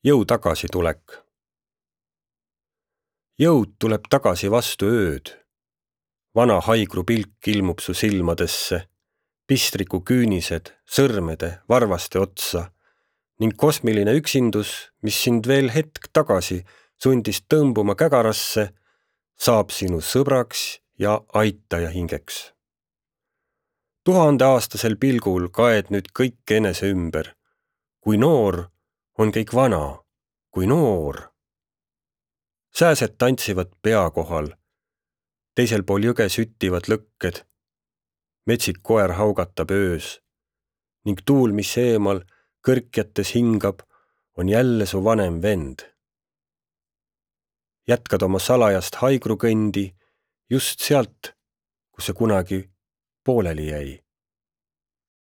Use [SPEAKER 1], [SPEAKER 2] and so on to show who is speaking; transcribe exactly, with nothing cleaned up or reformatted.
[SPEAKER 1] Jõu tagasi tulek. Jõud tuleb tagasi vastu ööd. Vana haigru pilk ilmub su silmadesse, pistriku küünised, sõrmede, varvaste otsa ning kosmiline üksindus, mis sind veel hetk tagasi sundis tõmbuma kägarasse, saab sinu sõbraks ja aitaja hingeks. Tuhandeaastasel pilgul kaed nüüd kõik enese ümber. Kui noor on kõik vana, kui noor. Sääsed tantsivad pea kohal. Teisel pool jõge süttivad lõkked. Metsik koer haugatab öös. Ning tuul, mis eemal kõrkjates hingab, on jälle su vanem vend. Jätkad oma salajast haigrukõndi just sealt, kus see kunagi pooleli jäi.